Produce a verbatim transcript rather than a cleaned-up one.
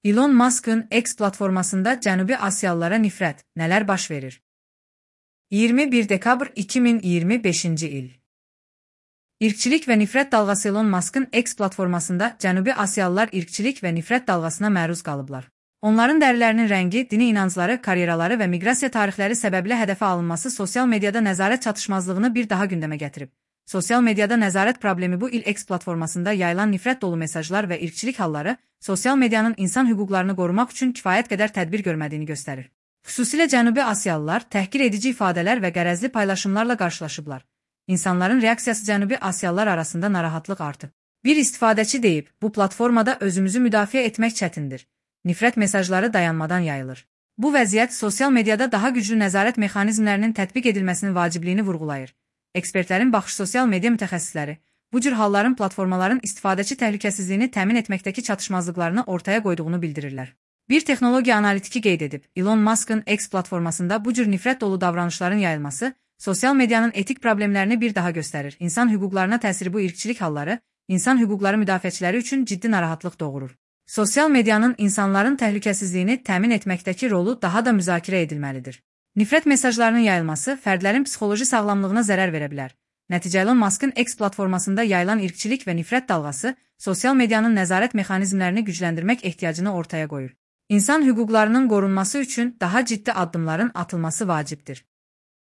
Elon Musk'ın X platformasında Cənubi Asiyalılara nifrət, nələr baş verir? iyirmi bir dekabr iki min iyirmi beşinci il. İrqçilik və nifrət dalğası Elon Musk'ın X platformasında Cənubi Asiyalılar irqçilik və nifrət dalğasına məruz qalıblar. Onların dərilərinin rəngi, dini inancları, karyeraları və miqrasiya tarixləri səbəbilə hədəfə alınması sosial mediada nəzarət çatışmazlığını bir daha gündəmə gətirib. Sosial mediada nəzarət problemi bu il X platformasında yayılan nifrət dolu mesajlar və irqçilik halları, sosial medianın insan hüquqlarını qorumaq üçün kifayət qədər tədbir görmədiyini göstərir. Xüsusilə Cənubi Asiyalılar təhqir edici ifadələr və qərəzli paylaşımlarla qarşılaşıblar. İnsanların reaksiyası Cənubi Asiyalılar arasında narahatlıq artıb. Bir istifadəçi deyib, bu platformada özümüzü müdafiə etmək çətindir. Nifrət mesajları dayanmadan yayılır. Bu vəziyyət sosial mediada daha güclü nəzarət mexanizmlərinin tətbiq edilməsinin vacibliyini vurğulayır. Ekspertlərin baxış sosial media mütəxəssisləri, bu cür halların platformaların istifadəçi təhlükəsizliyini təmin etməkdəki çatışmazlıqlarını ortaya qoyduğunu bildirirlər. Bir texnologiya analitiki qeyd edib, Elon Musk'ın X platformasında bu cür nifrət dolu davranışların yayılması, sosial medianın etik problemlərini bir daha göstərir. İnsan hüquqlarına təsiri bu irqçilik halları, insan hüquqları müdafiəçiləri üçün ciddi narahatlıq doğurur. Sosial medianın insanların təhlükəsizliyini təmin etməkdəki rolu daha da müzakirə edilməlidir. Nifrət mesajlarının yayılması fərdlərin psixoloji sağlamlığına zərər verə bilər. Nəticə Elon Musk'ın X platformasında yayılan irqçilik və nifrət dalğası sosial medianın nəzarət mexanizmlərini gücləndirmək ehtiyacını ortaya qoyur. İnsan hüquqlarının qorunması üçün daha ciddi addımların atılması vacibdir.